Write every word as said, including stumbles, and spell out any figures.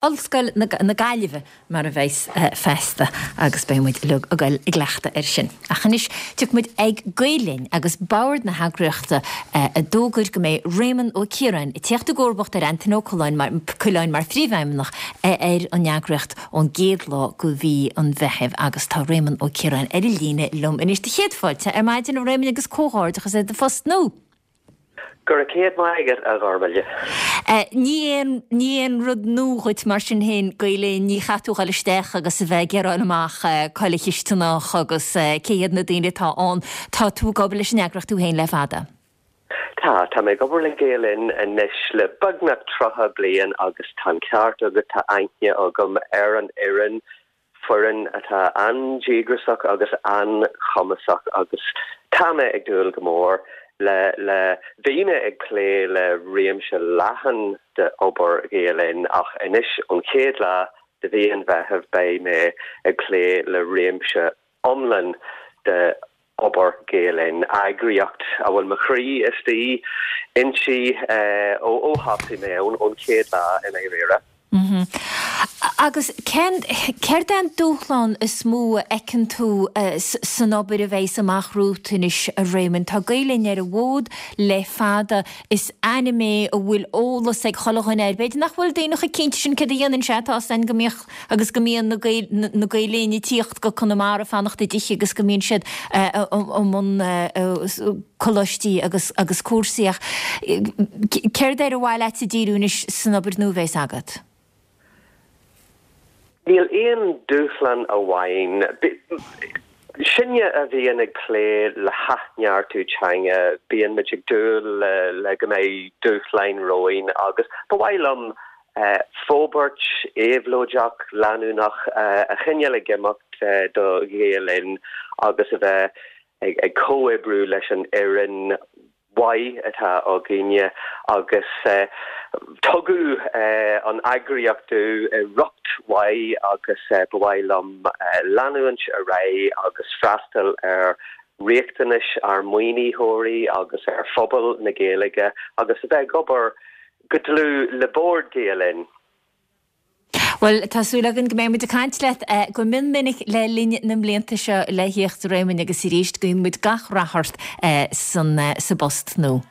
Ollscoil na Gaillimhe mar a bheas feasta agus beidh muid uilig ag dul i gcleachtadh air sin. Ach anois tiocfaidh muid ag Gael Linn agus bord na heagraíochta a d'fhógair go mbeidh Réamonn Ó Ciaráin ag teacht i gcomharbacht ar Antaine Ó Coileáin mar Coileáin mar phríomhfheidhmeannach ar an eagraíocht ón gcéad lá de mhí an Mheithimh agus tá Réamonn Ó Ciaráin ar an líne liom anois do chéad fáilte ar maidin a Réamoinn agus comhghairdeachas ar do phost nua. Go raibh céad maith agat a Ghormlaith. Ní aon ní aon rud nua dhuit mar sin féin Gael Linn ní chaithfidh tú dhul isteach agus a bheith ag iarraidh amach cá bhfuil cisteanach agus cé hiad na daoine atá ann tá tú ag obair leis an eagraíocht tú féin le fada. Tá tá mé ag obair le Gael Linn anois le beagnach tríocha bliain agus tá an ceart agat tá aithne agam ar an fhoireann foireann atá an-díograiseach agus an-chumasach agus tá mé ag dúil go mór le le bhí mé ag plé le réimse leathan de obair Ghael Linn ach anois an chéad lá de mhí an Mheithimh beidh mé ag plé le réimse iomlán de obair Gael Linn eagraíocht a bhfuil mo chroí istigh inti ó ó thosaigh mé ón ón chéad lá i ndáiríre. Mm -hmm. Agus cén céard é an dúshlán is mó a fheiceann tú san obair a bheas amach romhat anois a Réamoinn. Tá Gael Linn ar an bhfód le fada is ainm é a bhfuil eolas ag chuile dhuine air. B'fhéidir nach bhfuil daoine chomh cinnte sin céard a dhéanann sé tá san go mbíodh agus go mbíonn na Gael Linn ag tíocht go Conamara fanacht i dtithe agus go mbíonn siad i mbun coláistí agus agus cúrsaí ach céard ar mhaith leat díriú anois san obair nua a bheas agat. Níl aon dúshlán amháin. Sinne a bhíonn ag plé le hathneartú teanga bíonn muid ag dúil le, le go mbeidh dúshláin romhainn agus ba mhaith liom uh, forbairt éabhlóideach leanúnach uh, a choinneáil ag imeacht uh, do Ghael Linn agus a bheith ag, ag comhoibriú leis an fhoireann mhaith atá againne agus uh, tugadh uh, an eagraíocht i riocht mhaith agus uh, ba mhaith liom uh, leanúint ar aghaidh agus freastal ar riachtanais ár maoinitheoirí agus ar phobal na Gaeilge agus a bheith ag obair go dlúth le bord Gael Linn. Well tá súil againn go mbeidh muid ag caint leat go mion minic le linn na mblianta seo le theacht Réamoinn agus arís guíonn muid gach rath ort san sa bpost nua.